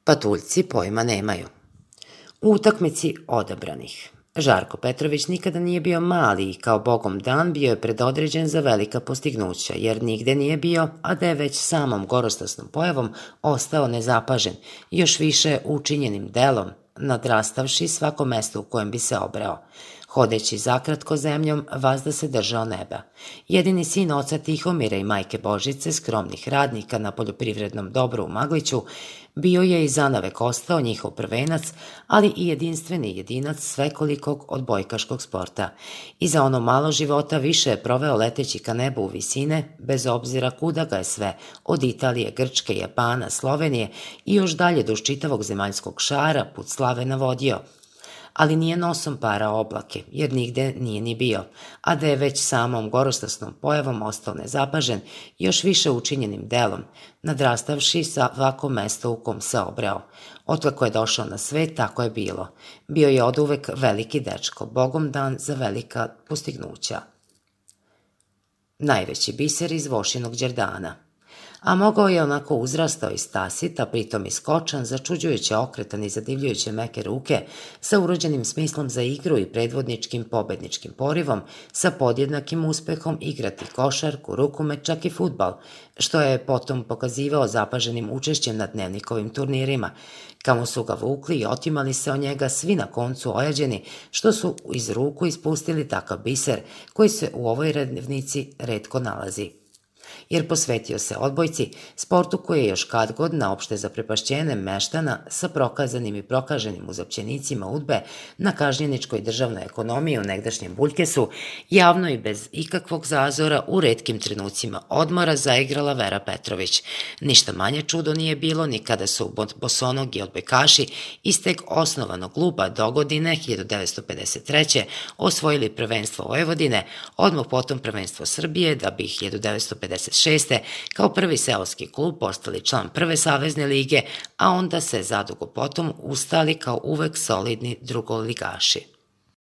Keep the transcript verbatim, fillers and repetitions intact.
Patuljci pojma nemaju. U utakmici odabranih. Žarko Petrović nikada nije bio mali i kao bogom dan bio je predodređen za velika postignuća, jer nigde nije bio, a da je već samom gorostasnom pojavom ostao nezapažen, još više učinjenim delom, nadrastavši svako mesto u kojem bi se obreo. Hodeći zakratko zemljom, vazda se držao neba. Jedini sin oca Tihomira i majke Božice, skromnih radnika na poljoprivrednom dobru u Magliću, bio je i zanavek ostao njihov prvenac, ali i jedinstveni jedinac svekolikog odbojkaškog sporta. I za ono malo života više je proveo leteći ka nebu u visine, bez obzira kuda ga je sve, od Italije, Grčke, Japana, Slovenije i još dalje duž čitavog zemaljskog šara put slave navodio. Ali nije nosom parao oblake, jer nigde nije ni bio, a da je već samom gorostasnom pojavom ostao nezapažen, još više učinjenim delom, nadrastavši svako mesto u kom se obreo. Otkako je došao na svet, tako je bilo. Bio je oduvek veliki dečko, bogom dan za velika postignuća. Najveći biser iz Vošinog Đerdana. A mogao je onako uzrastao i stasit, a pritom i skočan, začuđujuće okretan i zadivljujuće meke ruke, sa urođenim smislom za igru i predvodničkim pobedničkim porivom, sa podjednakim uspehom igrati košarku, rukomet, čak i fudbal, što je potom pokazivao zapaženim učešćem na dnevnikovim turnirima, kamo su ga vukli i otimali se od njega svi na koncu ojađeni, što su iz ruku ispustili takav biser koji se u ovoj rednevnici retko nalazi. Jer posvetio se odbojci, sportu koji je još kad god na opšte zaprepašćene meštana sa prokazanim i prokaženim uzapćenicima udbe na kažnjeničkoj državnoj ekonomiji u negdašnjem Buljkesu, javno i bez ikakvog zazora u retkim trenucima odmora zaigrala Vera Petrović. Ništa manje čudo nije bilo ni kada su bosonogi odbojkaši iz tek osnovanog kluba dogodine hiljadu devetsto pedeset treće osvojili prvenstvo Vojvodine, odmah potom prvenstvo Srbije, da bi hiljadu devetsto pedeset šeste kao prvi seoski klub postali član prve savezne lige, a onda se zadugo potom ustali kao uvek solidni drugoligaši.